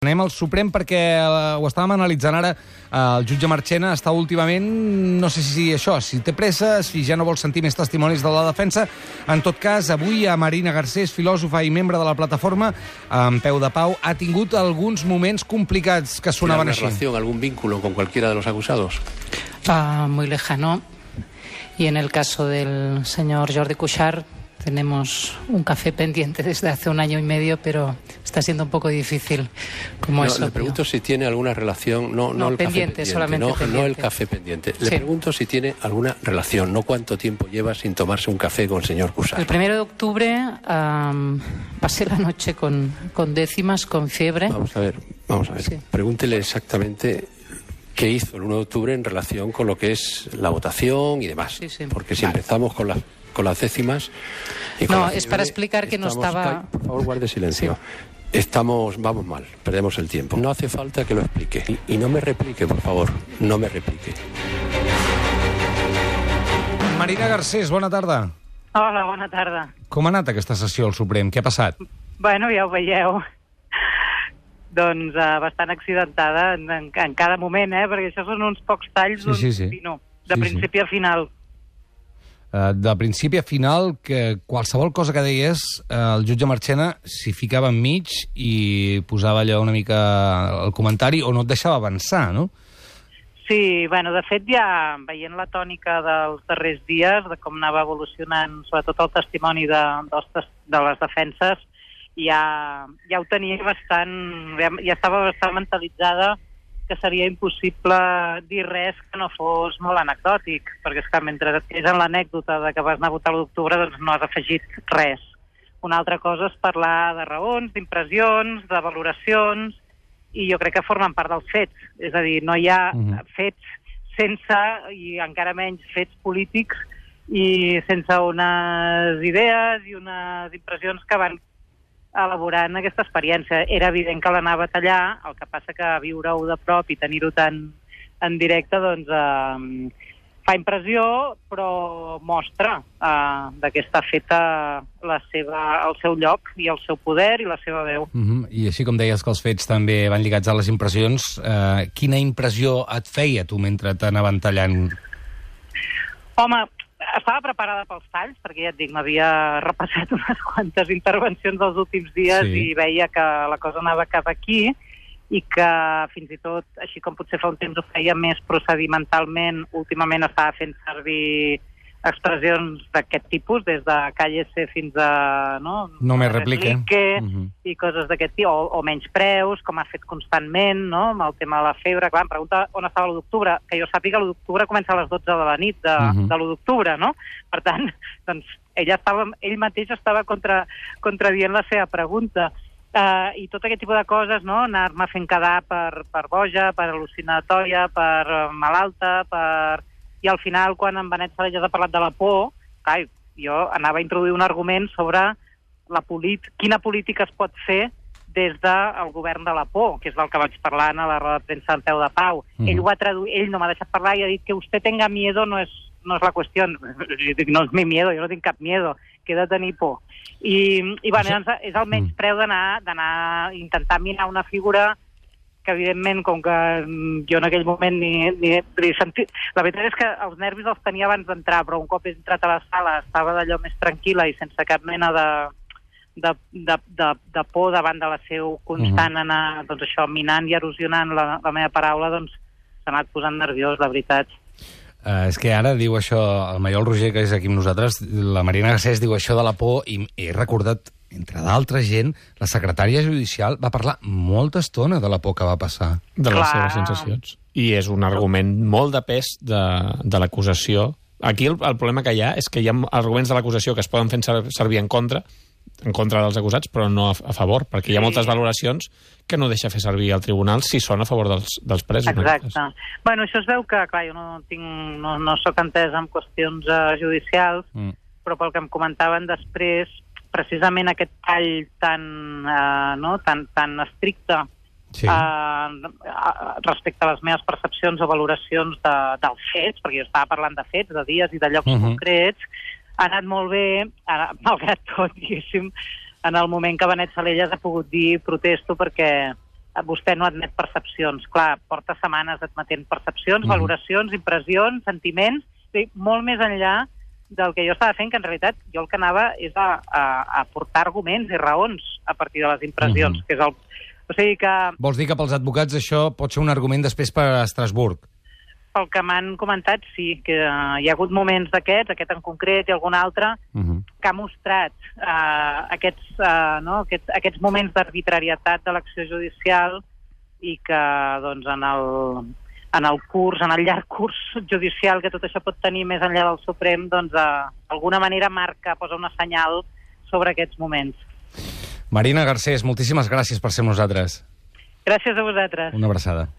Anem al Suprem perquè ho estàvem analitzant ara. El jutge Marchena està últimament, no sé si si té pressa, si ja no vol sentir més testimonis de la defensa. En tot cas, avui a Marina Garcés, filòsofa i membre de la plataforma, en peu de pau, ha tingut alguns moments complicats que sonaven així. ¿Relación, algún vínculo con cualquiera de los acusados? Muy lejano. Y en el caso del señor Jordi Cuixart, tenemos un café pendiente desde hace 1 año y medio, pero está siendo un poco difícil. Como eso, le pregunto si tiene alguna relación, no el pendiente, café solamente pendiente, pendiente. No el café pendiente. Le pregunto si tiene alguna relación, no cuánto tiempo lleva sin tomarse un café con el señor Cuixart. El 1 de octubre pasé la noche con décimas, con fiebre. Vamos a ver. Sí. Pregúntele exactamente qué hizo el 1 de octubre en relación con lo que es la votación y demás. Sí. Porque si empezamos con las décimas... No, es para explicar que no estaba... Por favor, guarde silencio. Sí. Vamos mal, perdemos el tiempo. No hace falta que lo explique. Y no me replique, por favor, no me replique. Marina Garcés, bona tarda. Hola, bona tarda. Com ha anat aquesta sessió al Suprem? Què ha passat? Bueno, ja ho veieu. Doncs bastant accidentada en cada moment, perquè això són uns pocs talls de principi a final. De principi a final, que qualsevol cosa que deies, el jutge Marchena s'hi ficava enmig i posava allò una mica el comentari o no et deixava avançar, no? Sí, bueno, de fet ja veient la tònica dels darrers dies, de com anava evolucionant sobretot el testimoni de les defenses, ja ho tenia bastant, ja estava bastant mentalitzada que seria impossible dir res que no fos molt anecdòtic, perquè és que mentre és en l'anècdota de que vas anar a votar l'1 d'octubre, doncs no has afegit res. Una altra cosa és parlar de raons, d'impressions, de valoracions, i jo crec que formen part dels fets. És a dir, no hi ha fets sense, i encara menys fets polítics, i sense unes idees i unes impressions que van elaborant aquesta experiència. Era evident que l'anava a tallar, el que passa que viure-ho de prop i tenir-ho tan en directe doncs fa impressió, però mostra que està feta el seu lloc i el seu poder i la seva veu. I així com deies que els fets també van lligats a les impressions, quina impressió et feia tu mentre t'anaven tallant? Home, estava preparada pels talls, perquè ja et dic, m'havia repassat unes quantes intervencions dels últims dies i veia que la cosa anava cap aquí i que fins i tot, així com potser fa un temps ho feia més procedimentalment, últimament estava fent servir expressions d'aquest tipus, des de cállese fins a... No me replique. I coses d'aquest tipus, o menys preus, com ha fet constantment, amb el tema de la febre. Clar, em pregunta on estava l'1 d'octubre, que jo sàpiga l'1 d'octubre comença a les 12 de la nit de l'1 d'octubre, no? Per tant, doncs, ell mateix estava contradient la seva pregunta. I tot aquest tipus de coses, anar-me fent quedar per boja, per al·lucinatòria, per malalta, i al final, quan en Benet Salellas ha parlat de la por, jo anava a introduir un argument sobre quina política es pot fer des del govern de la por, que és del que vaig parlar a la roda de premsa en peu de pau. Ell ho ha traduït, ell no m'ha deixat parlar i ha dit que usted tenga miedo no es la qüestió. Jo dic, no és mi miedo, jo no tinc cap miedo, que he de tenir por. I bueno, és el menys preu d'anar intentar minar una figura que evidentment, com que jo en aquell moment ni sentit... La veritat és que els nervis els tenia abans d'entrar, però un cop he entrat a la sala estava d'allò més tranquil·la i sense cap mena de por davant de la seu constant anar, doncs això, minant i erosionant la meva paraula, doncs s'ha anat posant nerviós, la veritat. És que ara diu això, el Maiol Roger, que és aquí amb nosaltres, la Marina Garcés diu això de la por i he recordat, entre d'altra gent, la secretària judicial va parlar molta estona de la por que va passar. De les seves sensacions. I és un argument molt de pes de l'acusació. Aquí el problema que hi ha és que hi ha arguments de l'acusació que es poden fer servir en contra dels acusats, però no a favor, perquè hi ha moltes valoracions que no deixa fer servir al tribunal si són a favor dels presos. Exacte. Bueno, això es veu que, clar, jo no soc entesa en qüestions judicials, però pel que em comentaven després, precisament aquest tall tan estricte respecte a les meves percepcions o valoracions dels fets, perquè jo estava parlant de fets, de dies i de llocs concrets, ha anat molt bé, malgrat tot, diguéssim, en el moment que Benet Salellas ha pogut dir protesto perquè vostè no admet percepcions. Clar, porta setmanes admetent percepcions, valoracions, impressions, sentiments, molt més enllà del que jo estava fent, que en realitat jo el que anava és a portar arguments i raons a partir de les impressions, que és el... O sigui que... Vols dir que pels advocats això pot ser un argument després per a Estrasburg? Pel que m'han comentat, sí, que hi ha hagut moments d'aquests, aquest en concret i algun altre, que ha mostrat aquests moments d'arbitrarietat de l'acció judicial i que, doncs, en el llarg curs judicial que tot això pot tenir més enllà del Suprem, doncs, d'alguna manera posa una senyal sobre aquests moments. Marina Garcés, moltíssimes gràcies per ser amb nosaltres. Gràcies a vosaltres. Una abraçada.